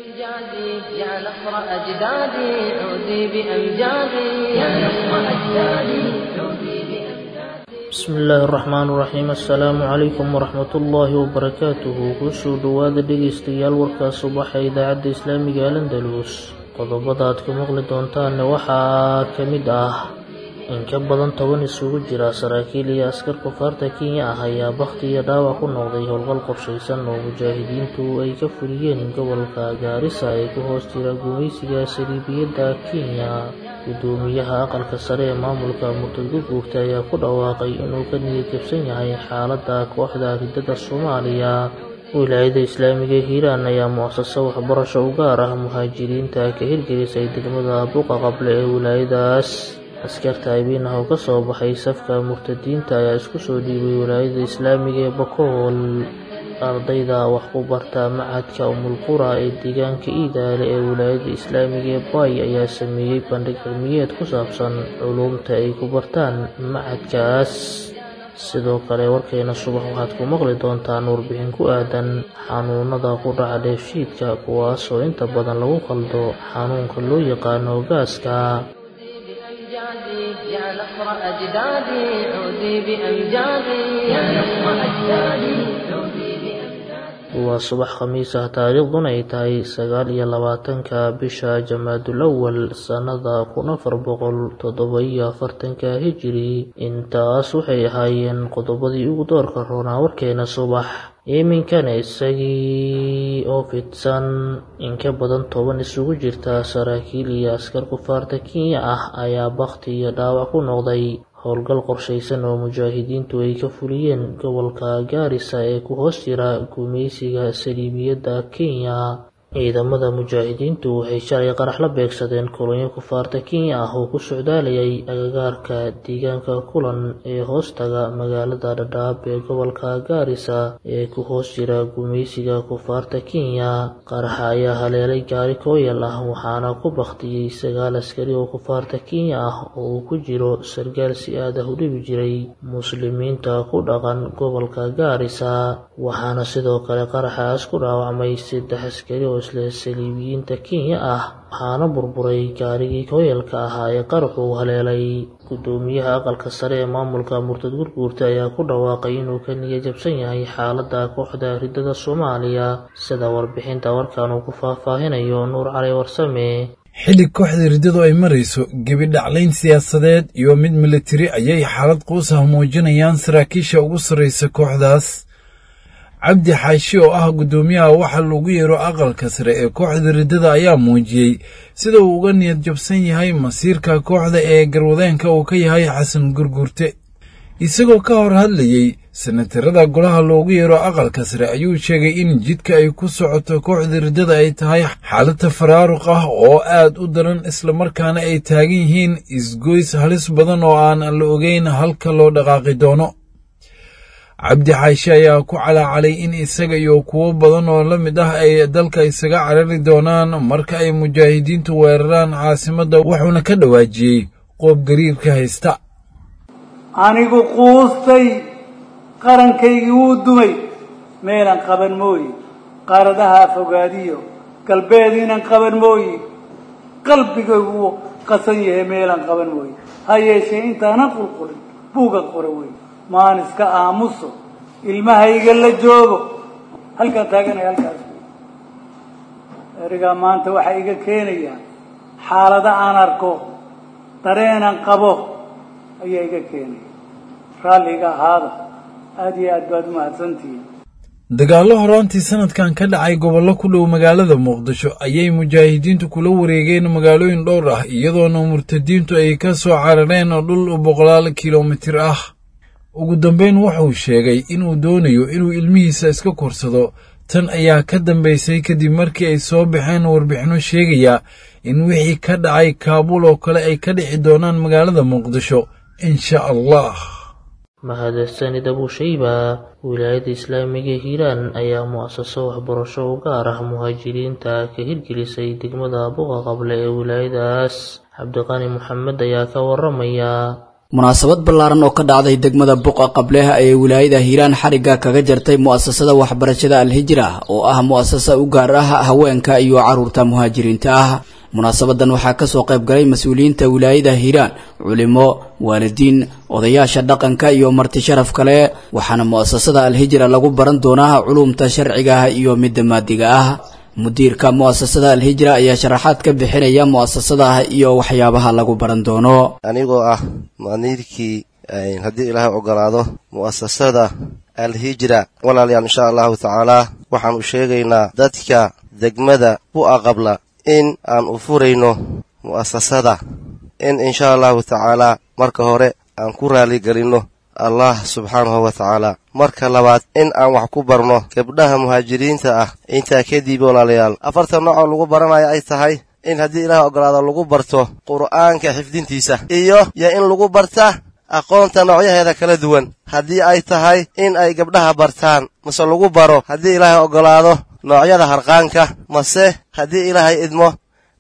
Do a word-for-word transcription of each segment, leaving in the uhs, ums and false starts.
بأمجادي يا نصر أجدادي عودي بأمجادي يا نصر أجدادي عودي بأمجادي. Bismi illaahi araxmaan iraxiim. Assalaamu calaykum waraxmatullaahi wabarakaatuhu. Kusoo dhowaada dhegeystayaal warkaa subaxa idaacadda islaamiga Al Andalus. Qodobada aad ku maqli doontaanna waxaa ka mid ah in ka badan toban isugu jira saraakiil iyo askar kufaarta Kenya ah ayaa bakhti iyo dhaawac ku noqday howlgal qorshaysan oo mujaahidiintu ay ka fuliyeen gobolka Gaarisa ee ku hoos jira gumaysiga saliibiyadda Kenya. Gudoomiyaha aqalka sare ee maamulka murtad Gurguurta ayaa ku dhawaaqay inuu ka niyad jabsan yahay xaaladda kooxda ridada Soomaaliya. Wilaayada islaamiga Hiiraan ayaa mu'asaso waxbarasho u gaar ah muhaajiriinta ka hirgelisay degmada Buqa Qable ee wilaayadaas. Askarta Abiinaha oo ka soo baxay safka murtadiinta ayaa isku soo dhiibay wilaayada islaamiga ee Bakool. Ardayda wax ku barta machadka Umulqura ee deegaanka Iidaale ee wilaayada islaamiga ee Bay ayaa sameeyey bandhig cilmiyeed ku saabsan culuumta ay ku bartaan machadkaas. Sidoo kale warkeena subax waxaad ku maqli doontaan warbixin ku aadan xanuunada ku dhaca dheefshiidka, kuwaasoo inta badan lagu qaldo xanuunka loo yaqaano gaaska. بأمجادي يا نصر أجدادي عودي بأمجادي يا نصر أجدادي عودي بأمجادي. Waa subax khamiis ah, taariikhduna ay tahay sagaal iyo labaatanka bisha Jamaadul Awal sannada kun afar boqol toddoba iyo afartanka hijiri. Intaas waxay ahaayeen qodobadii ugu doorka roonaa warkeena subax. Iminkana isagii oo fidsan. In ka badan toban isugu jirta saraakiil iyo askar kufaarta Kenya ah ayaa bakhti iyo dhaawac ku noqday howlgal qorshaysan oo mujaahidiintu ay ka fuliyeen gobolka Gaarisa ee ku hoos jira gumaysiga saliibiyadda Kenya. Ciidamada mujaahidiintu waxay shalay qarax la beegsadeen kolonyo kufaarta Kenya ah oo ku socdaalayay agagaarka deegaanka Kulan ee hoostaga magaalada Dhadhaab ee gobolka Gaarisa ee ku hoos jira gumaysiga kufaarta Kenya. Qaraxa ayaa haleelay gaari kooyal ah, waxaana ku bakhtiyey sagaal askari oo kufaarta Kenya ah oo uu ku jiro sargaal si aad ah u dhibi jiray muslimiinta ku dhaqan gobolka Gaarisa. Waxaana sidoo kale qaraxaas ku dhaawacmay saddex askari oo isla saliibiyiinta Kenya ah, waxaana burburay gaarigii kooyalka ahaa ee qaraxu haleelay. Gudoomiyaha aqalka sare ee maamulka murtad Gurguurta ayaa ku dhawaaqay inuu ka niyad jabsan yahay xaaladda kooxda ridada Soomaaliya, sida warbixinta warkan uu ku faahfaahinayo Nuur Cali Warsame. Xilli kooxda riddadu ay marayso gebi dhaclayn siyaasadeed iyo mid militari ayay xaalad quus ah muujinayaan saraakiisha ugu sarraysa kooxdaas. Cabdi Xaashi oo ah guddoomiyaha waxa lagu yeero aqalka sare ee kooxda riddada ayaa muujiyey sida uu uga niyad jabsan yahay masiirka kooxda ee garwadeenka uu ka yahay Xasan Gurgurte. Isagoo ka hor hadlayey senatarada golaha loogu yeero aqalka sare ayuu sheegay in jidka ay ku socoto kooxda riddada ay tahay xaalad tafaraaruq ah oo aad u daran, islamarkaana ay taagan yihiin isgoys halis badan oo aan la ogeyn halka loo dhaqaaqi doono. Cabdi Xaashi ayaa ku calaacalay in isaga iyo kuwo badan oo la mid ah ay dalka isaga carari doonaan marka ay mujaahidiintu weeraraan caasimadda, wuxuuna ka dhawaajiyey qoob gariirka haysta. Anigu quustay, qarankaygii wuu dumay, meelan qaban mooye, qaaradaha fogaadiyo galbeed inan qaban mooye, qalbigaygu wuu qasan yahay, meelan qaban mooye. Ha yeeshee intaanan qulqulin buugan qora wey, maan iska aamuso, ilmahayga la joogo, halkaan taaganaya halkaas wey. Erigaa maanta waxaa iga keenayaa xaalado aan arko, dareenan qabo ayaa iga keenaya. Raalliga ahaada, aada iyo aad baad umahadsantihiin. Dagaallo horaantii sanadkan ka dhacay gobollo ku dhow magaalada Muqdisho ayay mujaahidiintu kula wareegeen magaalooyin dhowr ah, iyadoona murtadiintu ay ka soo carareen dhul boqolaal kilomitir ah. Ugu dambayn wuxuu sheegay inuu doonayo inuu ilmihiisa iska korsado. Tan ayaa ka dambaysay kadib markii ay soo baxeen warbixinno sheegaya in wixii ka dhacay Kaabuul oo kale ay ka dhici doonaan magaalada Muqdisho insha Allah. Mahadsanid Abushayba. Wilaayada islaamiga Hiiraan ayaa mu'asaso waxbarasho u gaar ah muhaajiriinta ka hirgelisay degmada Buqa Qable ee wilaayadaas. Cabdiqani Maxamed ayaa ka waramaya. Munaasabad ballaaran oo ka dhacday degmada Buqa Qableha ee wilaayada Hiiraan xarigga kaga jartay mu'asasada waxbarashada Al-Hijra oo ah mu'asasa u gaar ah haweenka iyo carruurta muhaajiriinta ah. Munaasabadan waxaa ka soo qayb galay mas'uuliyiinta wilaayada Hiiraan, culimo, waalidiin, odayaasha dhaqanka iyo marti sharaf kale, waxaana mu'asasada Al-Hijra lagu baran doonaa culuumta sharciga ah iyo midda maadiga ah. Mudiirka mu'asasada Al-Hijra ayaa sharaxaad ka bixinaya mu'asasada iyo waxyaabaha lagu baran doono. Anigoo ah maniirkii haddii Ilaahay ogolaado mu'asasada Al-Hijra, walaalayaal, insha allahu tacaalaa waxaan u sheegaynaa dadka degmada Bu'a Qabla in aan u furayno mu'asasada, in insha allahu tacaalaa marka hore aan ku raaligelinno Allah subxaanahu wa tacaala, marka labaad in aan wax ku barno gabdhaha muhaajiriinta ah. Intaa kadib walaalayaal, afartan nooc oo lagu baranayo ay tahay in haddii Ilaah ogolaado lagu barto qur'aanka xifdintiisa iyo iyo in lagu barta aqoonta noocyaheeda kala duwan, haddii ay tahay in ay gabdhaha bartaan mase lagu baro haddii Ilaahay ogolaado noocyada harqaanka, mase haddii Ilaahay idmo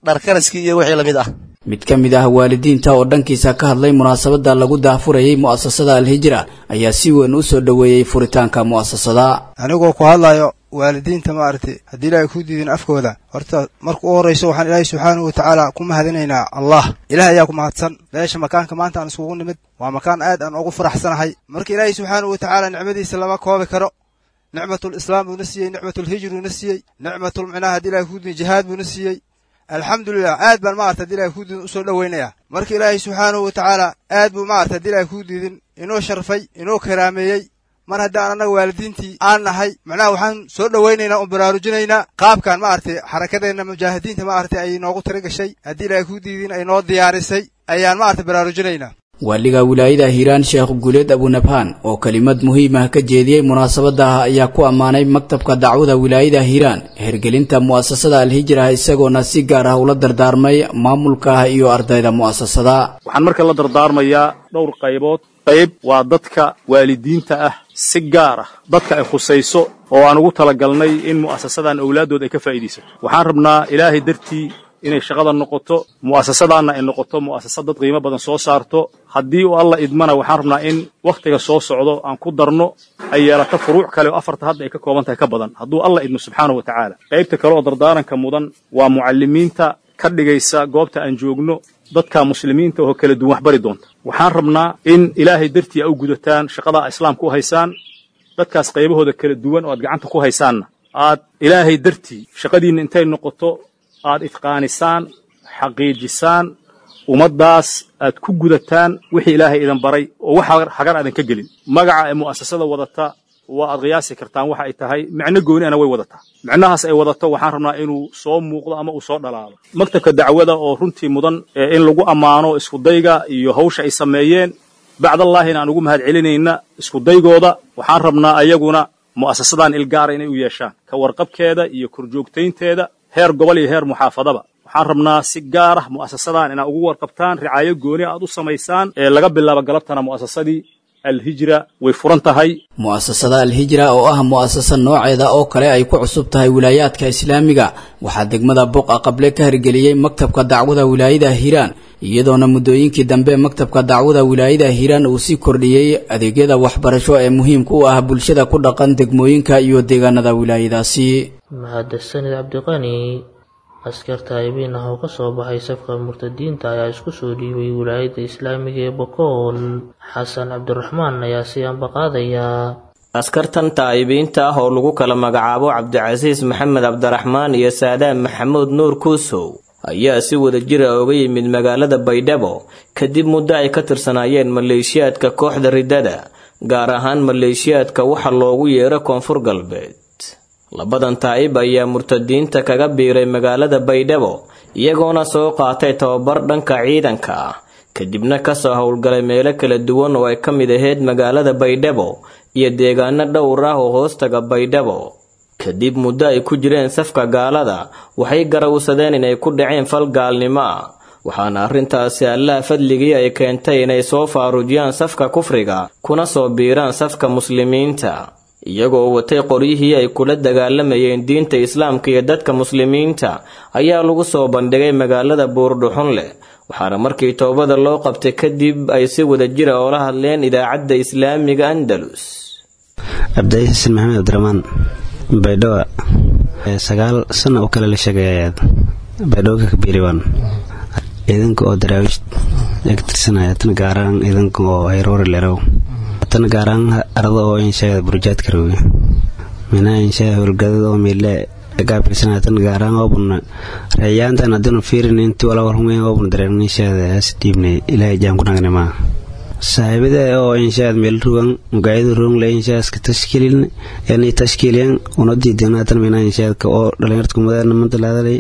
dharkaraskii iyo wixii la mid ah. Mid ka mid ah waalidiinta oo dhankiisa ka hadlay munaasabada lagu daahfurayay mu'asasada Al-Hijra ayaa si weyn u soo dhoweeyey furitaanka mu'asasada. Anigoo ku hadlayo waalidiinta maaragtay haddii Ilaahay ku diidin afkooda, horta marka u horrayso waxaan Ilaahay subxaanahu watacaala ku mahadinaynaa Allah. Ilaah ayaa ku mahadsan. Meesha makaanka maanta aan iskugu nimid waa makaan aad aan ugu faraxsanahay. Marka Ilaahay subxaanahu watacaala nicmadiisa lama koobi karo. Nicmatul islaam buu na siiyey, nicmatul hijr buu na siiyey, nicmatul micnaha haddii Ilaahay ku diidin jihaad buu na siiyey. Alxamdulilah, aad baan maarata haddii Ilahay kuu diidin usoo dhoweynaya. Marka Ilaahay subxaanahu watacaala aad buu maarata haddii Ilahay kuu diidin inoo sharfay, inoo karaameeyey. Mar haddaan annaga waalidiintii aan nahay, macnaha waxaan soo dhowaynaynaa oon baraarujinaynaa qaabkan maaragtay xarakadeenna mujaahidiinta maaragtay ay noogu tira gashay, haddii Ilahay kuu diidin ay noo diyaarisay ayaan maaragtay baraarujinaynaa. Waaliga wilaayada Hiiraan Sheekh Guuleed Abunabhaan oo kelimad muhiim ah ka jeediyey munaasabada ayaa ku ammaanay maktabka dacwada wilaayada Hiiraan hirgelinta mu'asasada Al-Hijra, isagoona si gaar ah ula dardaarmay maamulka iyo ardayda mu'asasada. Waxaan marka la dardaarmayaa dhowr qaybood. Qayb waa dadka waalidiinta ah, si gaar ah dadka ay khusayso oo aan ugu talagalnay in mu'asasadan awlaadooda ay ka faa'iidaysato. Waxaan rabnaa Ilaahay dartii inay shaqada noqoto, mu'asasadaanna ay noqoto mu'asasad dad qiimo badan soo saarto. Haddii uu Alla idmana waxaan rabnaa in wakhtiga soo socdo aan ku darno ay yeelato furuuc kale oo afarta hadda ay ka kooban tahay ka badan, hadduu Alla idmo subxaanahu wa tacaala. Qaybta kale oo dardaaranka mudan waa mucallimiinta ka dhigaysa goobta aan joogno dadka muslimiinta oo kala duwan wax bari doonta. Waxaan rabnaa in Ilaahay dartii ay u gudataan shaqada islaamka u haysaan, dadkaas qaybahooda kala duwan oo aad gacanta ku haysaanna aad Ilaahay dartii shaqadiinna intay noqoto aad itqaanisaan, xaqiijisaan, ummaddaas aad ku gudataan wixii Ilaahay idin baray oo wax hagar aadan ka gelin. Magaca ee mu'asasada wadata waa aad qiyaasi kartaan waxa ay tahay, micno gooni ana way wadataa. Micnahaas ay wadato waxaan rabnaa inuu soo muuqdo ama uu soo dhalaalo. Maktabka dacwada oo runtii mudan in lagu ammaano iskudayga iyo hawsha ay sameeyeen, bacdallaahina aan ugu mahad celinayna iskudaygooda, waxaan rabnaa ayaguna mu'asasadan ilgaara inay u yeeshaan ka warqabkeeda iyo korjoogtaynteeda heer gobol iyo heer muxaafadaba. Waxaan rabnaa si gaar ah mu'asasadan inaad ugu warqabtaan, ricaayo gooni aad u samaysaan. Ee laga bilaabo galabtana mu'asasadii Al-Hijra way furan tahay. Mu'asasada Al-Hijra oo ah mu'asasa nooceeda oo kale ay ku cusub tahay wilaayaadka islaamiga, waxaa degmada Buqa Qable ka hirgeliyey maktabka dacwada wilaayada Hiiraan, iyadoona muddooyinkii dambe maktabka dacwada wilaayada Hiiraan uu sii kordhiyey adeegyada waxbarasho ee muhiimka u ah bulshada ku dhaqan degmooyinka iyo deegaanada wilaayadaasi. Mahadsanid Cabdiqani. Askarta aybiin ah oo ka soo baxay safka murtadiinta ayaa isku soo dhiibay wilaayada islaamiga ee Bokool. Xasan Cabdiraxmaan ayaa si anbaqaadaya. Askartan taa'ibiinta ah oo lagu kala magacaabo Cabdicasiis Maxamed Cabdiraxmaan iyo Saadaam Maxamuud Nuur Kuusow ayaa si wadajir ah uga yimid magaalada Baydhabo kadib muddo ay ka tirsanaayeen maleeshiyaadka kooxda riddada, gaar ahaan maleeshiyaadka waxa loogu yeero Koonfur Galbeed. Labadan taa'ib ayaa murtadiinta kaga biiray magaalada Baydhabo, iyagoona soo qaatay tababar dhanka ciidanka ah, kadibna kasoo howlgalay meelo kala duwan oo ay ka mid ahayd magaalada Baydhabo iyo deegaano dhowr ah oo hoostaga Baydhabo. Kadib muddo ay ku jireen safka gaalada, waxay garawsadeen inay ku dhaceen fal gaalnimo ah, waxaana arrintaasi Allaah fadligii ay keentay inay soo faaruujiyaan safka kufriga kuna soo biiraan safka muslimiinta, iyagoo watay qoryihii ay kula dagaalamayeen diinta islaamka iyo dadka muslimiinta ayaa lagu soo bandhigay magaalada Buurdhuxunleh, Waxaana markii toobada loo qabtay kadib ay si wada jira oola hadleen idaacadda islaamiga Andalus. Cabdi Xasan Maxamed Abdiraxmaan Baydhabo sagaal sano oo kale la sheegay Baydhabo ka kabiiriwan ciidanka oo daraawish ka tirsanaya tan gaaraan ciidanka oo hayroori lerow tan gaaraan arada oo inshaada burjaadka roge mina inshaa howlgadada oo meele gaabilsanaya tan gaaraan oo buna rayaantan haddanu fiirin intii wala warhumeen oo buna dareen inshaada has dhiibnay ilaahay jaan ku nagnay maa saaxiibada oo inshaad meel rugan mugaayadu rugan le inshaaska tashkiilin yani tashkiilin una diidana tan mina inshaadka oo dhalinyarta kumadaana manta laadalay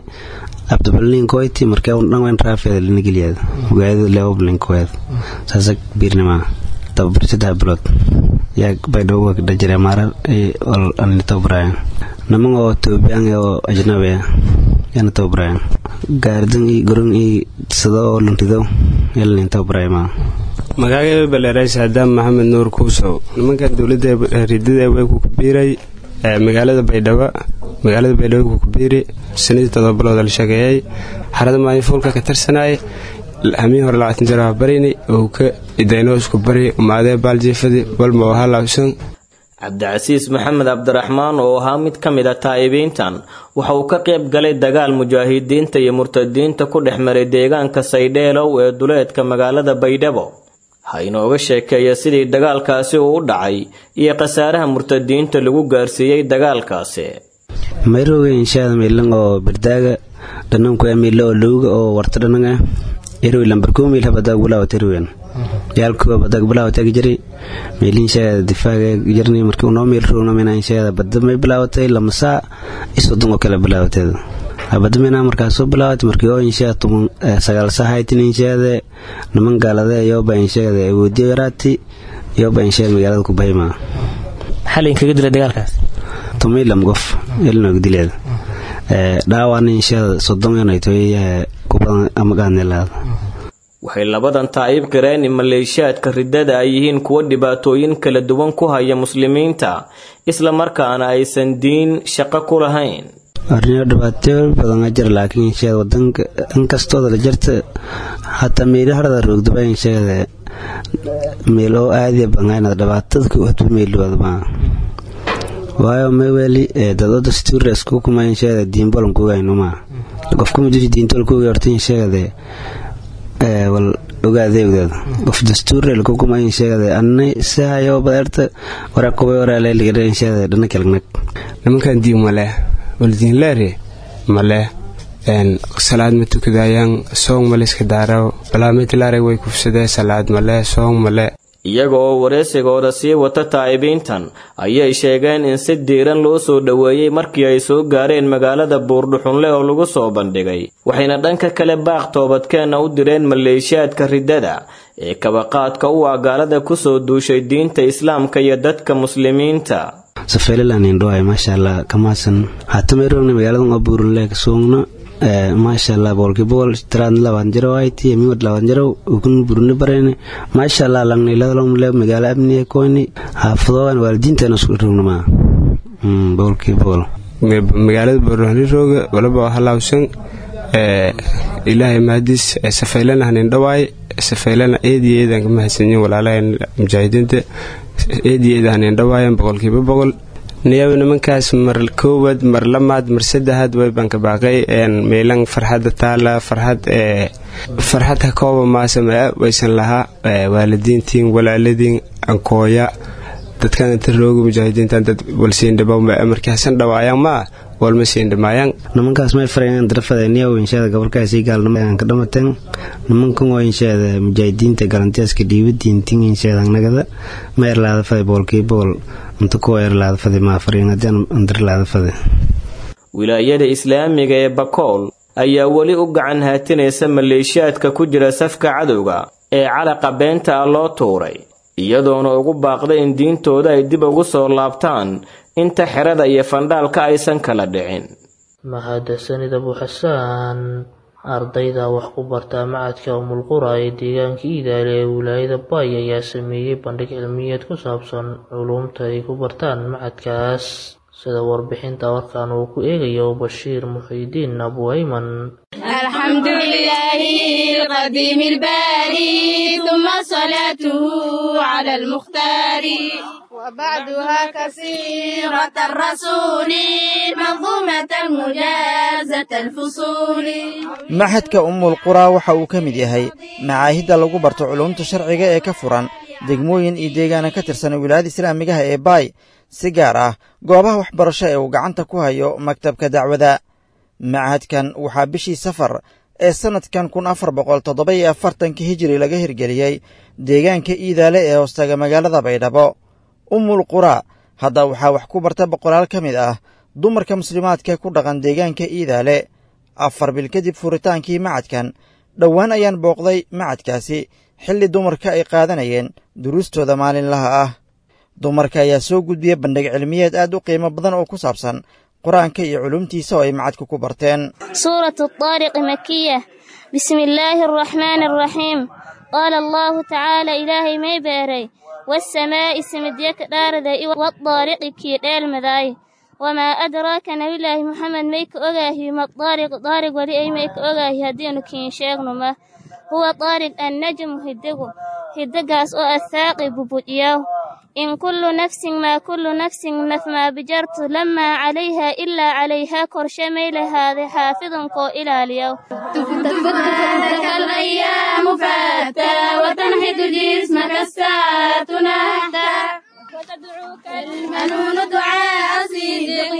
abdubalin koyti markii uu dhan weyn raafeed la nigiliyad mugaayadu leoblin koyd saasa biirnima tababar saddex bilood yaa baydhabo ka dhajira maarar ay ol anni tababarayaan niman oo Etoobiyaan oo ajnabi ah yana tababarayaan gaardan iyo garoon iyo sida oo luntido yalnin tababarayma. Magacayga baleeray Saadaam Maxamed Nuur Kuusow. Nimankan dowladda ridada way ku kabiiray magaalada Baydhabo magaalada Baydhabo ku kabiiray sanadii todoba bilood la shaqeeyay xarada maalinfuulka ka tirsanay hamiin hore labaatan jir barini oo ka idayno isku bari umaadee baaljiifadi walma waxa laabsan. Cabdicasiis Maxamed Cabdiraxmaan oo ahaa mid ka mid ah taa'ibiintan waxa uu ka qayb galay dagaal mujaahidiinta iyo murtadiinta ku dhex maray deegaanka Saydheelow ee duleedka magaalada Baydhabo. Ha inooga sheekeeya sidii dagaalkaasi uu u dhacay iyo khasaaraha murtadiinta lagu gaarsiiyey dagaalkaasi. Mayrooga inshaada meelan oo bardaaga dhananku meelo oo looga oo warta dhananga erwi lambar koo meel habada gulaa terwen yaalku habada gulaa tag jiray meelin shaada difaaga jirnay markii uu noo meel roogna mina inshaada badda may bilaawatay lamasa isodon oo kala bilaawatay habada mina markaas soo bilaawatay markii oo inshaada toban sagaal saaxiitin inshaada niman gaalada iyo ba inshaada awoodiyo yaraati iyo ba inshaada magaalada ku bayma. Xalin kaga dilay dagaalkaas tumay lam qof ilna dileed ee dhaawan inshaada soddon inay toy ku badan ama gaanelaad. Waxay labadan taayib qireen in maleeshiyaadka riddada ay yihiin kuwo dhibaatooyin kala duwan ku haya muslimiinta isla markaana aysan diin shaqo ku lahayn. Arrin dhibaato badan jir laakiin inshaada wadanka inkastoo la jirta hataa meelaha harada roogdaba inshaada meel oo aad iyo badan dhibaatada ku hadba meel wadba waayo meweli dadada dastuur isku kuma inshaada diin balan ku gaynuma qofku ma jiri diinta ku yarta inshaada ee wal ogaadayda qof dastuur ku kuma inshaada annay sahayo badarta waraqo waraale liga inshaada dhanka kalgnag. Nimankan diin male wal diin leere male een salaad ma tukadayaan soon male iska daaraw balaa mid laare way kufsadeen salaad male soon male. Iyaga oo wareysigooda sii wata taa'ibiintan ayay sheegeen in si diiran loo soo dhoweeyey markii ay soo gaareen magaalada Buurdhuxunle oo lagu soo bandhigay. Waxayna dhanka kale baaq toobadkeena u direen maleeshiyaadka riddada ee kabaqaadka u ah gaalada ku soo duushay diinta islaamka iyo dadka muslimiinta. Safeelan indhoay maasha Allah kamaasan hatta meerona magaalada oo Buurdhuxunle ka soogna maasha Allah boqolkiiba boqol tiraad labaatan jiro ay tii mid labaatan jiro ugun burni bareen maasha Allah langnay ladalom le magaala amniga kooni xaafadoon waalidiinteena isku rognama boqolkiiba boqol. Magaalada Buurdhuxunle rooga walba waxa laabsan ee ilaahay mahadis safeelana hanin dhawaay safeelana eediyeedan ka mahadsanyiin walaalahan mujaahidiinta eediyeedan hanin dhawaayeen boqolkiiba boqol. Niyaw nimankaas mar koowaad mar lamaad mar saddexaad way banka baaqay een meelan farxadda taala farxad ee farxad ka kooba maasama waysan lahaa waalidiintiin walaaladiin ankooya dadkan inta rooga mujaahidiintan dad walsiin dhabow ma markaasan dhawaayaan ma walma siin dhamaayaan. Nimankaas may farayaan darafada niyaw inshaada gobolkaasi gaalnimo aan ka dhamateen nimankan oo inshaada mujaahidiinta galantiyaska dhiibadiintiin inshaada nagada ma erlaada faday boqolkiiba boqol inta ku erlaada faday ma farayaan haddii aan darlaada faday. Wilaayada islaamiga ee Bakool ayaa weli u gacan haatinaysa maleeshiyaadka ku jira safka cadowga ee calaqa beenta ah loo tuuray, iyadoona ugu baaqday in diintooda ay dib ugu soo laabtaan inta xerada iyo fandhaalka aysan kala dhicin. Mahadsanid Abu Xasaan. Ardayda wax ku barta macadka Umul Qura ee deegaanka Iidaale ee wilaayada Bay ayaa sameeyey bandhig cilmiyeed ku saabsan culuumta ay ku bartaan macadkaas. Sida warbixinta warkan uu ku eegayo Bashiir Muxiidiin Abu Ayman. الحمد لله القديم الباري ثم صلاته على المختار وبعدها كثيرة الرسول منظومة مجازة الفصول. Maxadka Ummul Quraa waxa uu ka mid yahay macaahidda lagu barto culuumta sharciga ee ka furan degmooyin iyo deegaana ka tirsan wilaayada islaamigaha ee Baay, si gaar ah goobaha waxbarasho ee uu gacanta ku hayo maktabka dacwada. Machadkan waxaa bishii Safar ee sannadkan kun afar boqol toddoba iyo afartanka hijiri laga hirgeliyey deegaanka Iidaale ee hoostaga magaalada Baydhabo. Ummul Quraa hadda waxaa wax ku barta boqolaal ka mid ah dumarka muslimaadka ku dhaqan deegaanka Iidaale. Afar bil kadib furitaankii macadkan, dhowaan ayaan booqday macadkaasi xilli dumarka ay qaadanayeen duruustooda maalinlaha ah. Dumarka ayaa soo gudbiyey bandhig cilmiyeed aad u qiimo badan oo ku saabsan qur-aanka iyo culumtiisa oo ay macadka ku barteen. سورة الطارق مكية. بسم الله الرحمن الرحيم. قال الله تعالى إلهي may beeray والسماء سمديك dhaaraday والطارق kii dheelmaday وما أدراك نبي محمد ميك أغاهي ما الطارق طارق ولي أي ميك أغاهي هدينو كين شيغنو ما هو طارق النجم هدقو هدقاس أو الثاقب بودياو إن كل نفس ما كل نفس نف ما بجرت لما عليها إلا عليها كرشمي لهذا حافظ كو إلى اليوم. تفوتك الأيام فاتى وتنهد جسمك الساعة نحتا وتدعوك المنون دعاء صدق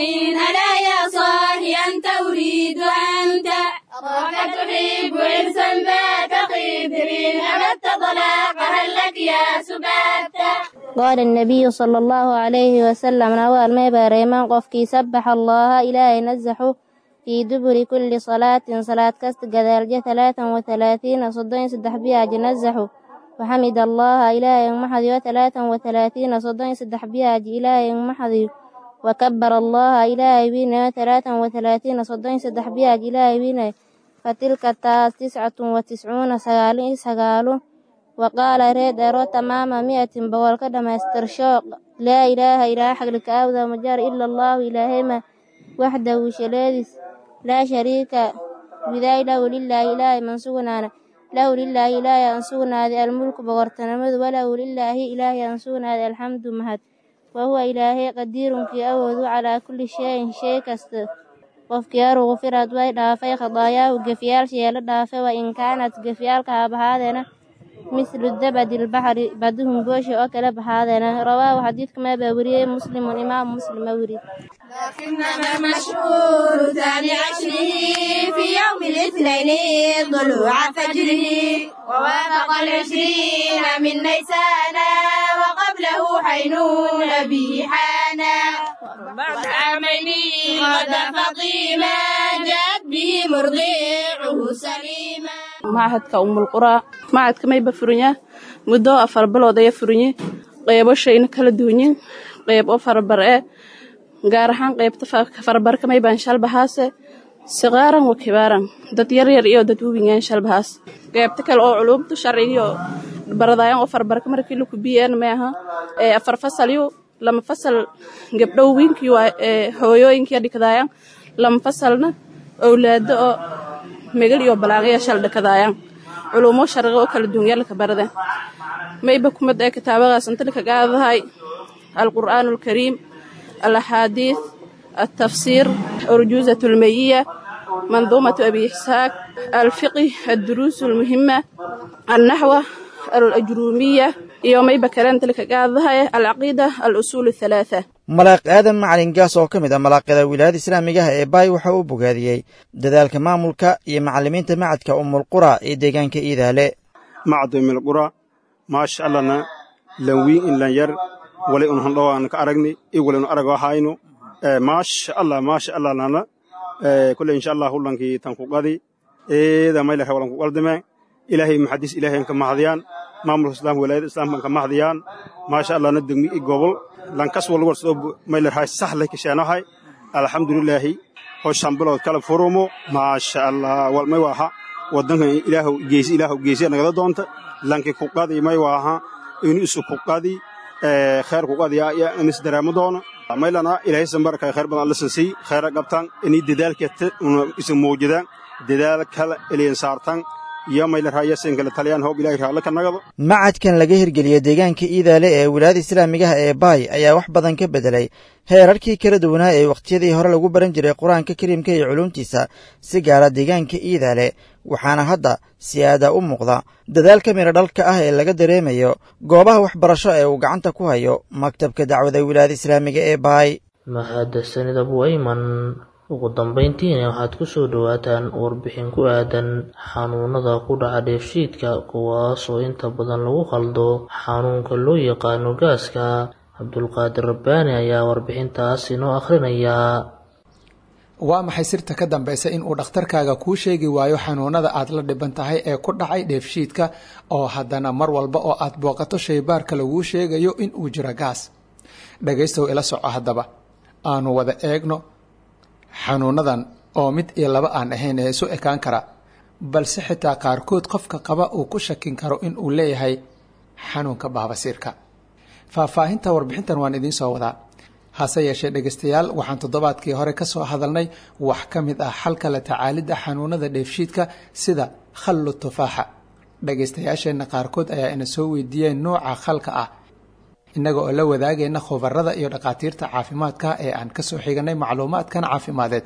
ألا يا صاحي أنت أريد أنت أراك تحب إرسا ذات قدر أبدت طلاق هل لك يا سبات. قال النبي صلى الله عليه وسلم نوال ما باريمان قفكي سبح الله إلهي نزحه في دبر كل صلاة صلاة كست قذالجة ثلاثا وثلاثين صدين صدح بياج نزحه وحمد الله إلهي محذي ثلاثا وثلاثين صدين صدح بياج إلهي محذي وكبر الله إلهي بنا ثلاثا وثلاثين صدين صدح بياج إلهي بنا فتلك التاس تسعة وتسعون سقالين سقالو وقال ريد أرو تمام مئة بقول كدما استرشوق لا إله إلا حق لك مجار إلا الله إلهيما وحده شلادس لا شريك بذا له لله إله من سغنانا له لله إله أنسونا هذا الملك بغرتنمد وله لله إله أنسونا هذا الحمد مهد وهو إلهي قدير في أوذ على كل شيء شيء كست qofkii غفرت way dhaafay khadaayaahu gefyaalsheela dhaafay wa in kaanat gefyaalka abahaadena mislu dabadi lbaxri baduhum goosha oo kale baxaadena. Rawaahu xadiidka maa baa weriyey muslimun imaam muslim ma weri. لكنما مشهور ثاني عشره في يوم الاثنين طلوع فجره ووافق العشرين من نيسان وقبله حينون به حانا بعد عامين غدا فطيما جاءت به مرضيعه سليما. Machadka Ummul Quraa machadka mayba furinyaa muddo afar bilood ayaa furinye qeybo shayna kala duwanyin qeyb oo farabar ee gaar ahaan qeybta farabarka maybaan shalbahaase siqaaran wa kibaaran dad yaryar iyo dad waaweyaan shalbahaas qeybta kale oo culuumta sharcigiyo baradayan oo farabarka markii laku biyeen maaha ee afar fasal iyo lama fasal gabdho wiinkii waa ee hooyooyinkii dhikadaayaan lama fasalna awlaado oo megal iyo balaaqaya shal dhakadaayaan culuumo sharci oo kala duwan yaalka barada mayba kumad ee kitaabadaas inta ka qaadahay alqur'aan alkariim alaxaadiis التفسير أرجوزة المية منظومة أبي إسحاق الفقه الدروس المهمة النحو الأجرومية يومي بكران تلك قاضها العقيدة الأصول الثلاثة. Malaaq Aadan Macalin Gaas oo ka mid ah malaaqyada wilaayada islaamiga ah ee Baay waxa uu bogaadiyey dadaalka maamulka iyo macallimiinta macadka Ummul Quraa ee deegaanka Iidaale. Macad Ummul Quraa maasha Allahna lawiin in lan yar wali un handho aan ka aragni iyo wali un arago hayno maasha Allah maasha Allah lana kulli insha Allah hulankii tan ku qadi eeda may la walan ku qaldame ilaahay muhaddis ilaahay ka mahadiyaan maamulka islaamka wilaayada islaamka ka mahadiyaan maasha Allah na degmi i gobol lankas wal war soo may la hay sax leh kashaanahay alxamdulillah howshan bilood kala furumo maasha Allah wal may waha wadanka ilaahu geesi ilaahu geesi naga doonta lanki ku qadi may waha inuu isu ku qadi ee khair ku qadi yaa in is dareemo doono. Maylana ilaahay sanbarka khayr badan alla sansiy khayra qabtaan inay dadaalka isu muujidaan dadaal kale ilayn saartaan iyo mayla raayaseen kala taliyaan hoob ilaahay raalla ka nagado. Macadkan laga hirgeliyey deegaanka Iidaale ee wilaayada islaamigaha ee Baay ayaa wax badan ka bedelay heerarkii kala duwanaa ee wakhtiyadii hore lagu baran jiray Qur-aanka Kariimka iyo culuumtiisa, si gaara deegaanka Iidaale, waxaana hadda si aada u muuqda dadaalka miro dhalka ah ee laga dareemayo goobaha waxbarasho ee uu gacanta ku hayo maktabka dacwada wilaayada islaamiga ee Baay. Mahadsanid Abu Ayman. Ugu dambeyntiina waxaad ku soo dhowaataan warbixin ku aadan xanuunada ku dhaca dheefshiidka, kuwaasoo inta badan lagu khaldo xanuunka loo yaqaano gaaska. Cabdulqaadir Rabbaani ayaa warbixintaas inoo akhrinaya. Waa maxay sirta ka dambaysa in uu dhakhtarkaaga kuu sheegi waayo xanuunada aad la dhiban tahay ee ku dhacay dheefshiidka, oo haddana mar walba oo aad booqato shaybaarka laguu sheegayo in uu jiro gaas? Dhagaystow, ila soco haddaba, aanu wada eegno xanuunadan oo mid iyo laba aan ahayn ee isu ekaan kara, balse xitaa qaarkood qofka qaba uu ku shakin karo in uu leeyahay xanuunka baabasiirka. Faahfaahinta warbixintan waan idiin soo wadaa. Hase yeeshee dhegaystayaal, waxaan toddobaadkii hore ka soo hadalnay wax ka mid ah xalka la tacaalidda xanuunada dheefshiidka sida khallu tufaaxa. Dhegaystayaasheenna qaarkood ayaa ina soo weydiiyeen nooca khalka ah, innaga oo la wadaagayna khubarada iyo dhakhaatiirta caafimaadka ee aan kasoo xiganay macluumaadkan caafimadeed.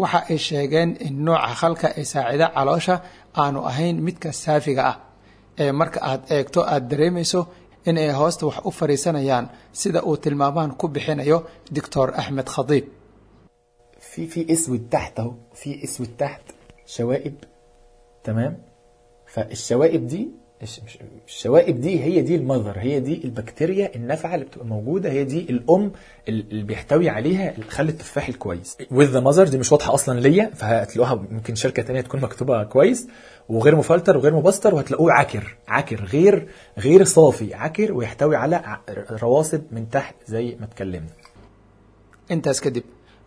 Waxa ay sheegeen in nooca khalka ee saacida caloosha aanu ahayn midka saafiga ah ee marka aad eegto aad dareemayso in ay hoosta wax u fariisanayaan, sida uu tilmaamaan ku bixinayo Doctor Axmed Khadiib. في في اسود تحت اهو، في اسود تحت شوائب، تمام؟ فالشوائب دي الشوائب دي هي دي ال mother، هي دي البكتيريا النافعه اللي بتبقى موجوده، هي دي الام اللي بيحتوي عليها خل التفاح الكويس. with the mother دي مش واضحه اصلا ليا، فهتلاقوها ممكن شركه تانية تكون مكتوبه كويس وغير مفلتر وغير مبستر، وهتلاقوه عكر عكر غير غير صافي، عكر ويحتوي على رواسب من تحت زي ما اتكلمنا. Intaas kadib,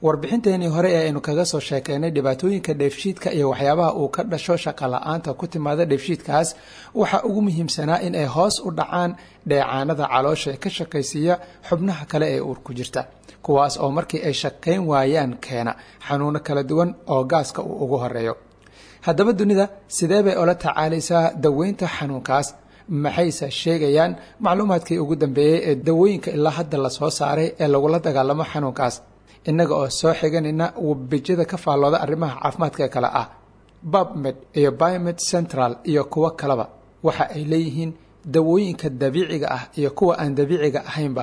warbixinteenii hore ee aynu kaga soo sheekeynay dhibaatooyinka dheefshiidka iyo waxyaabaha uu ka dhasho shaqa la-aanta ku timaada dheefshiidkaas, waxaa ugu muhiimsanaa in ay hoos u dhacaan dheecaanada caloosha ee ka shaqaysiiya xubnaha kale ee uur ku jirta, kuwaas oo markii ay shaqayn waayaan keena xanuuno kala duwan oo gaaska uu ugu horeeyo. Haddaba dunida sidee bay ula tacaalaysaa daweynta xanuunkaas? Maxayse sheegayaan macluumaadkii ugu dambeeyey ee dawooyinka ilaa hadda lasoo saaray ee lagula dagaalamo xanuunkaas? Innaga oo soo xiganayna webijada ka faallooda arrimaha caafimaadka kale ah PubMed iyo Biomed Central iyo kuwo kaleba, waxa ay leeyihiin dawooyinka dabiiciga ah iyo kuwa aan dabiiciga ahaynba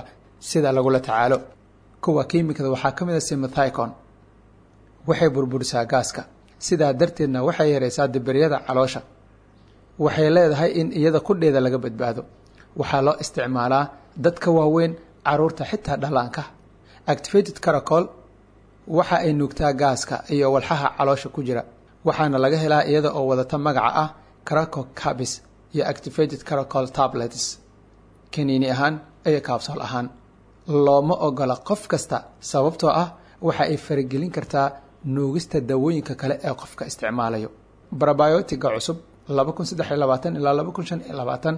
sida lagula tacaalo. Kuwa kiimikada waxaa ka mid a simethicon. Waxay burburisaa gaaska, sidaa darteedna waxay yareysaa dibiryada caloosha. Waxay leedahay in iyada qudheeda laga badbaado. Waxaa loo isticmaalaa dadka waaweyn, caruurta, xitaa dhallaanka. Activated caracol waxa ay nuugtaa gaaska iyo walxaha caloosha ku jira, waxaana laga helaa iyada oo wadata magaca ah craco cabis iyo activated caracol tablets, kaniini ahaan iyo kaabsool ahaan. Looma ogola qof kasta, sababtoo ah waxa ay faragelin kartaa nuugista dawooyinka kale ee qofka isticmaalayo. Probiotiga cusub laba kun saddex iyo labaatan ilaa laba kun shan iyo labaatan,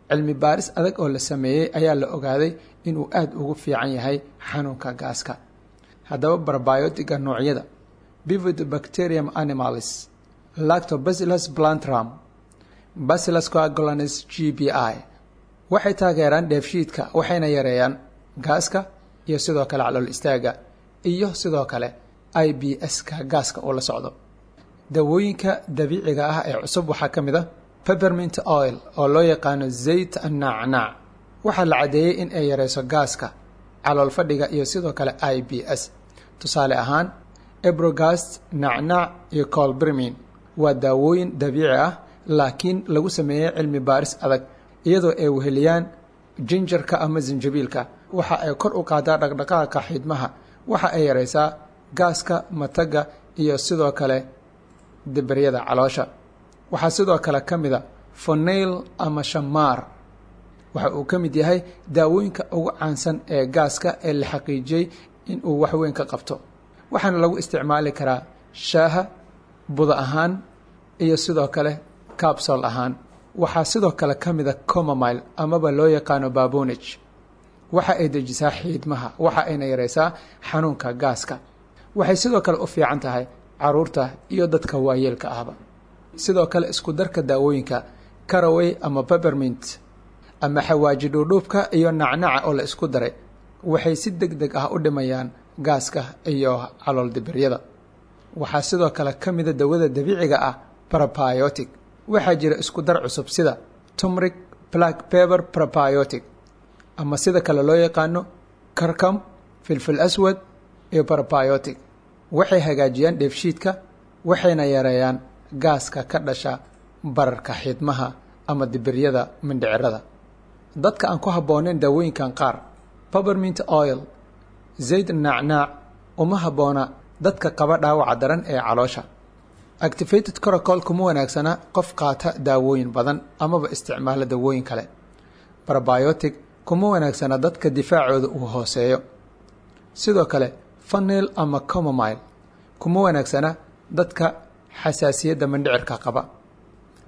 cilmi baaris adag oo la sameeyey ayaa la ogaaday inuu aada ugu fiican yahay xanuunka gaaska. Haddaba probiotiga noocyada Bifidobacterium animalis, Lactobacillus plantarum, Bacillus coagulans G B I waxay taageeraan dheefshiidka, waxayna yareeyaan gaaska iyo sidoo kale calool istaaga iyo sidoo kale I B S-ka gaaska uu la socdo. Dawooyinka dabiiciga ah ee cusub waxaa ka mid a peppermint oil oo loo yaqaano zayt nacnac. Waxaa la caddeeyey in ay yareyso gaaska, calool fadhiga iyo sidoo kale I B S. Tusaale ahaan, Iberogast, nacnac iyo Colpermin waa daawooyin dabiici ah, laakiin lagu sameeyey cilmi baaris adag, iyadoo ay weheliyaan jinjarka ama sinjabiilka. Waxa ay kor u qaadaa dhaqdhaqaaqa xiidmaha, waxa ay yareysaa gaaska, matagga iyo sidoo kale dibiryada caloosha. Waxaa sidoo kale ka mid a fennel ama shamaar. Waxa uu ka mid yahay daawooyinka ugu caansan ee gaaska ee la xaqiijiyey in uu wax weyn ka qabto, waxaana lagu isticmaali karaa shaaha, buda ahaan iyo sidoo kale capsule ahaan. Waxaa sidoo kale ka mid a chamomile amaba loo yaqaano baabunij. Waxa ay dejisaa xiidmaha, waxa ayna yareysaa xanuunka gaaska. Waxay sidoo kale u fiican tahay caruurta iyo dadka waayeelka ahba. Sidoo kale isku darka daawooyinka caraway ama peppermint ama xawaaji dhuudhuubka iyo nacnaca oo la isku daray waxay si deg deg ah u dhimayaan gaaska iyo calool dibiryada. Waxaa sidoo kale ka mida dawada dabiiciga ah probiotic. Waxaa jira isku dar cusub sida turmeric black pepper probiotic, ama sida kale loo yaqaano karkam, filfil aswad iyo probiotic. Waxay hagaajiyaan dheefshiidka, waxayna yareeyaan gaaska ka dhasha bararka xiidmaha ama dibiryada mindhicirada. Dadka aan ku habboonayn daawooyinkan qaar, peppermint oil, zayd nacnaac, uma habboona dadka qaba dhaawaca daran ee caloosha. Activated charcoal kuma wanaagsana qof qaata daawooyin badan amaba isticmaala daawooyin kale. Probiotic kuma wanaagsana dadka difaacooda uu hooseeyo. Sidoo kale fennel ama chamomile kuma wanaagsana dadka xasaasiyadda mindhicirka qaba.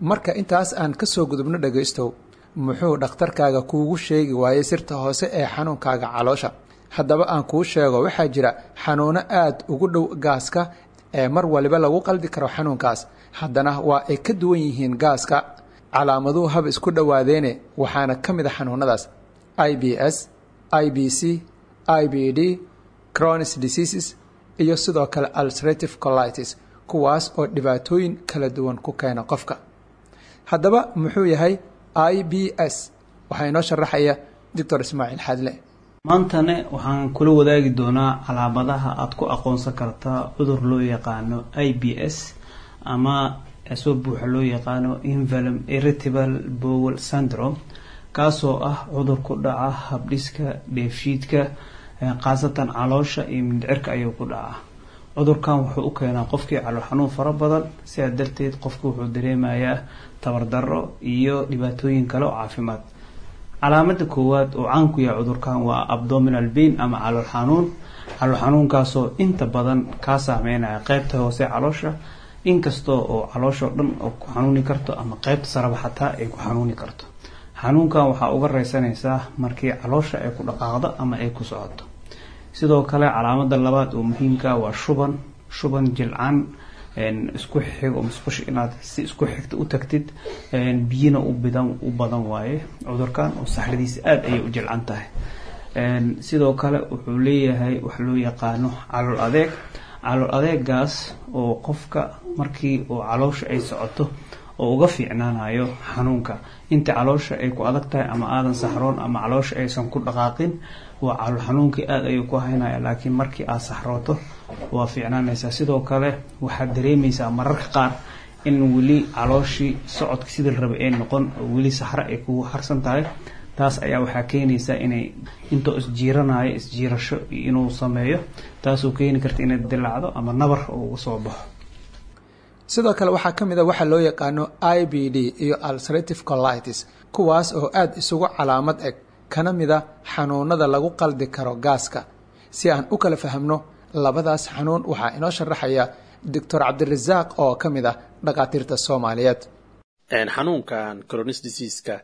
Marka intaas aan ka soo gudubno, dhagaystow, muxuu dhakhtarkaaga kuugu sheegi waayey sirta hoose ee xanuunkaaga caloosha? Haddaba aan kuu sheego, waxaa jira xanuuno aad ugu dhow gaaska ee mar waliba lagu qaldi karo xanuunkaas, haddana waa ay ka duwan yihiin gaaska, calaamaduhu haba isku dhowaadeene. Waxaana ka mid a xanuunadaas I B S, I B C, I B D, Crohn's diseases iyo sidoo kale ulcerative colitis, kuwaas oo dhibaatooyin kala duwan ku keena qofka. Haddaba muxuu yahay I B S? Waxaa inoo sharaxaya Doctor Ismaaciil Xadle. Maantane waxaan kula wadaagi doonaa calaamadaha aad ku aqoonsan kartaa cudur loo yaqaano I B S, ama soo buuxa loo yaqaano irritable bowel syndrome, kaasoo ah cudur ku dhaca habdhiska dheefshiidka, khaasatan caloosha iyo mindhicirka ayuu ku dhacaa. Cudurkan wuxuu u keenaa qofkii calool xanuun fara badan, sidaa darteed qofku wuxuu dareemayaa tabardaro iyo dhibaatooyin kale oo caafimaad. Calaamada koowaad oo caan ku yahay cudurkan waa abdominal pain ama calool xanuun, calool xanuunkaasoo inta badan kaa saameynaya qeybta hoose caloosha, inkastoo oo calooshoo dhan oo ku xanuuni karto ama qeybta saraba xataa ay ku xanuuni karto. Xanuunkan waxaa uga reysanaysaa markii caloosha ay ku dhaqaaqdo ama ay ku socoto. Sidoo kale calaamada labaad oo muhiimka waa shuban, shuban jilcan isku xigo, musqusha inaad si isku xigta u tagtid, biyina u bidan u badan waaye cudurkan oo saxradiisa aada ayay u jilcan tahay. Sidoo kale wuxuu leeyahay wax loo yaqaano calool adeeg, calool adeegaas oo qofka markii uu caloosha ay socoto oo uga fiicnaanayo xanuunka. Inta caloosha ay ku adag tahay ama aadan saxroon ama caloosha aysan ku dhaqaaqin, waa calool xanuunkii aada ayuu ku haynaya, laakiin markii aad saxrooto waa fiicnaanaysaa. Sidoo kale waxaad dareemaysaa mararka qaar in weli calooshii socodka sidii la rabay ay noqon oo weli saxro ay kugu harsan tahay. Taas ayaa waxaa keenaysaa inay intoo isjiiranayo isjiirasho inuu sameeyo, taasoo keeni karta inay dilaacdo ama nabar oo uga soo baxo. Sidoo kale waxaa ka mid a waxaa loo yaqaano I B D iyo ulcerative colitis, kuwaas oo aada isugu calaamad eg, kana mid a xanuunada lagu qaldi karo gaaska. Si aan u kala fahamno labadaas xanuun, waxaa inoo sharaxaya Doctor Cabdirasaaq oo ka mid ah dhakhaatiirta Soomaaliyeed. Xanuunkan Crohn's disease-ka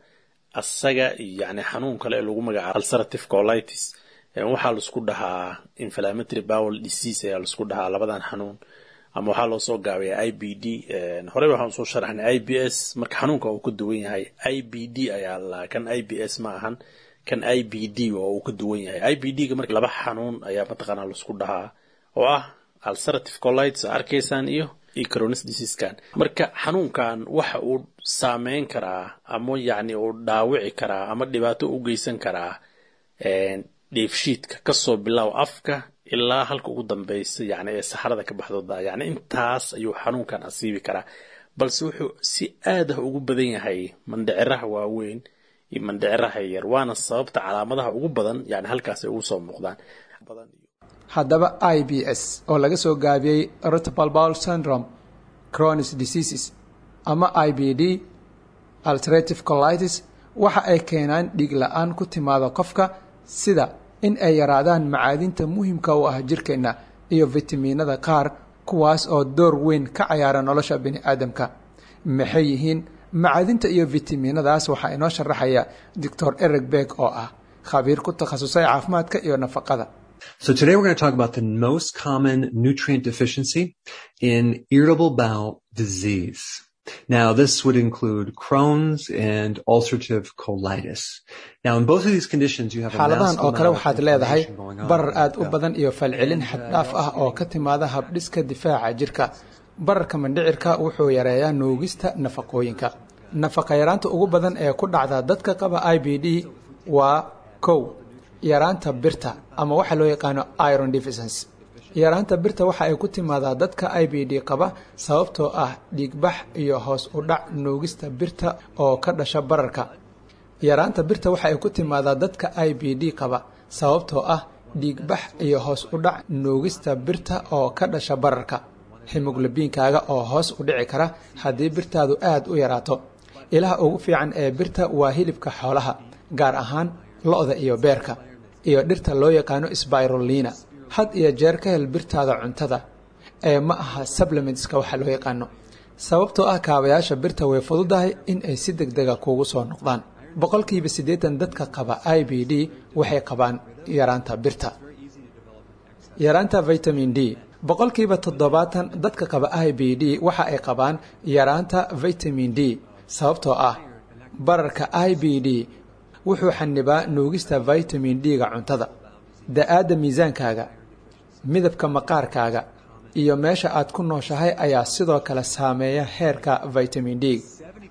asaga yani xanuun kale ee lagu magacaabo ulcerative colitis waxaa laisku dhahaa inflammatory bowel disease ayaa laisku dhahaa labadan xanuun, ama waxaa loo soo gaabiyaa I B D. Horey waxaan soo sharaxnay I B S. Marka xanuunka uu ka duwan yahay I B D ayaa la kan I B S ma ahan, kan I B D oo uu ka duwan yahay I B D ga. Marka laba xanuun ayaa mataqaanaa laisku dhahaa oo ah ulcerative colitis arkaysaan iyo iyo Crohn's disease-kan. Marka xanuunkan waxa uu saameyn karaa ama yacni uu dhaawici karaa ama dhibaato u geysan karaa dheefshiidka, kasoo bilow afka ilaa halka ugu dambeysa yani ee saxarada ka baxdo, yani intaas ayuu xanuunkan asiibi karaa, balse wuxuu si aad ah ugu badan yahay mandhiciraha waaweyn iyo mandhiciraha yar, waana sababta calaamadaha ugu badan yani halkaas ay ugu soo muuqdaan. Haddaba I B S oo laga soo gaabiyey irritable bowel syndrome Crohn's diseases ama I B D ulcerative colitis waxa ay keenaan dhiig la-aan ku timaada qofka, sida in ay yaraadaan macaadinta muhiimka u ah jirkeenna iyo fitamiinada qaar, kuwaas oo door weyn ka cayaara nolosha bini aadamka. Maxay yihiin macaadinta iyo fitamiinadaas? Waxaa inoo sharaxaya Doctor Eric Beck oo ah Khabiir ku takhasusay caafimaadka iyo nafaqada. So today we're going to talk about the most common nutrient deficiency in irritable bowel disease. Now, this would include Crohn's and ulcerative colitis. Now, in both of these conditions, you have a Xaaladahan massive oo kale amount of waxaad leedahay inflammation going on. Barar aad u badan iyo falcelin xaddhaaf ah oo ka timaada habdhiska difaaca jirka. Bararka mindhicirka wuxuu yareeyaa nuugista nafaqooyinka. Nafaqa yaraanta ugu badan ee ku dhacda dadka qaba I B D waa kow, yaraanta birta ama waxa loo yaqaano iron deficiency. Yaraanta birta waxa ay ku timaadaa dadka I B D qaba sababtoo ah dhiigbax iyo hoos u dhac nuugista birta oo ka dhasha bararka. Yaraanta birta waxa ay ku timaadaa dadka I B D qaba sababtoo ah dhiigbax iyo hoos u dhac nuugista birta oo ka dhasha bararka. Hemoglobiinkaaga oo hoos u dhici kara haddii birtaadu aad u yaraato. Ilaha ugu fiican ee birta waa hilibka xoolaha, gaar ahaan lo'da iyo beerka, iyo dhirta loo yaqaano spirulina. Had iyo jeer ka hel birtaada cuntada ee ma aha supplementska waxa loo yaqaano, sababtoo ah kaabayaasha birta way fududahay in ay si degdega kuugu soo noqdaan. Boqolkiiba siddeetan dadka qaba I B D waxay qabaan yaraanta birta. Yaraanta vitamin D: boqolkiiba toddobaatan dadka qaba I B D waxa ay qabaan yaraanta vitamin D, sababtoo ah bararka I B D wuxuu xanibaa nuugista vitamin D-ga cuntada. Da'aadda, miisaankaaga, midabka maqaarkaaga iyo meesha aad ku nooshahay ayaa sidoo kale saameeya heerka vitamin D.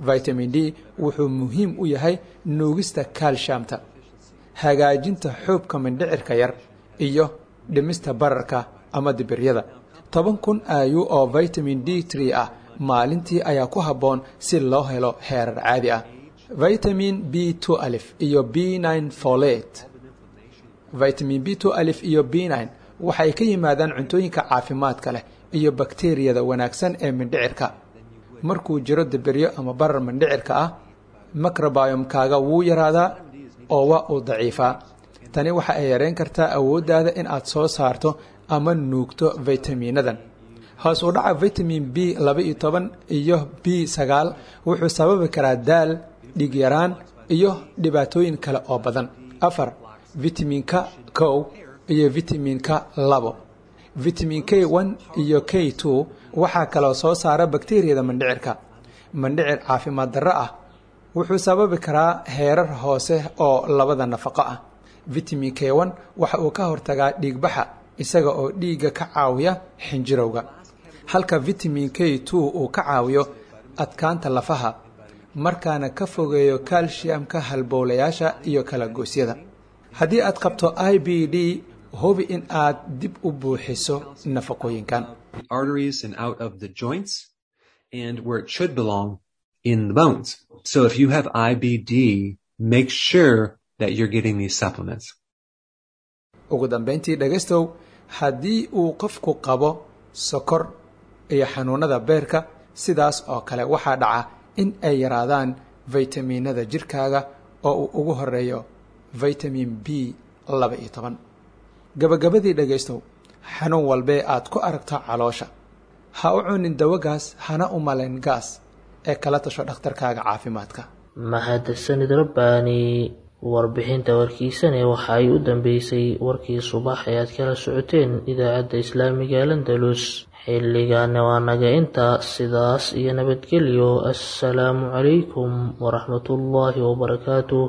Vitamin D wuxuu muhiim u yahay nuugista calciumta, hagaajinta xuubka mindhicirka yar iyo dhimista bararka ama dibiryada. Toban kun I U oo vitamin D three ah maalintii ayaa ku habboon si loo helo heerar caadi ah. Vitamin B twelve iyo B nine folate. Vitamin B twelve iyo B nine waxay ka yimaadaan cuntooyinka caafimaadka leh iyo bakteeriyada wanaagsan ee mindhicirka. Markuu jiro dibiryo ama barar mindhicirka ah, microbiome-kaaga wuu yaraadaa oo waa uu daciifaa. Tani waxa ay yareyn kartaa awooddaada in aad soo saarto ama nuugto vitaminadan. Hoos u dhaca vitamin B laba iyo toban iyo B sagaal wuxuu sababi karaa daal, dhiig yaraan iyo dhibaatooyin kale oo badan. Afar, vitaminka kow iyo vitaminka labo. Vitamin K one iyo K two waxaa kaloo soo saara bakteeriyada mindhicirka. Mindhicir caafimaad darro ah wuxuu sababi karaa heerar hoose oo labada nafaqo ah. Vitamin K one waxa uu ka hortagaa dhiigbaxa isaga oo dhiigga ka caawiya xinjirowga, halka vitamin K two uu ka caawiyo adkaanta lafaha, markaana ka fogeeyo calciumka halbowlayaasha iyo kala goosyada. Haddii aad qabto I B D, hubi in aad dib u buuxiso nafaqooyinkan. The arteries and out of the joints and where it should belong in the bones. So if you have I B D, make sure that you're getting these supplements. Ugu dambeyntii, dhegaystow, haddii uu qofku qabo sokor iyo xanuunada beerka, sidaas oo kale waxaa dhaca in ay yaraadaan faytamiinada jirkaaga oo uu ugu horeeyo vitamin B laba iyo toban. Gabagabadii, dhegaystow, xanuun walbee aad ku aragto caloosha, ha u cunin dawagaas, hana u malayn gaas ee kala tasho dhakhtarkaaga caafimaadka. Mahadsanid Rabbaani. Warbixinta warkiisane waxa ay u dambeysay warkii subax ee aad kala socoteen idaacadda islaamiga Al-Andalus. Xilligaana waa naga inta. Sidaas iyo nabadgelyo. Assalaamu calaykum waraxmatullaahi wabarakaatuh.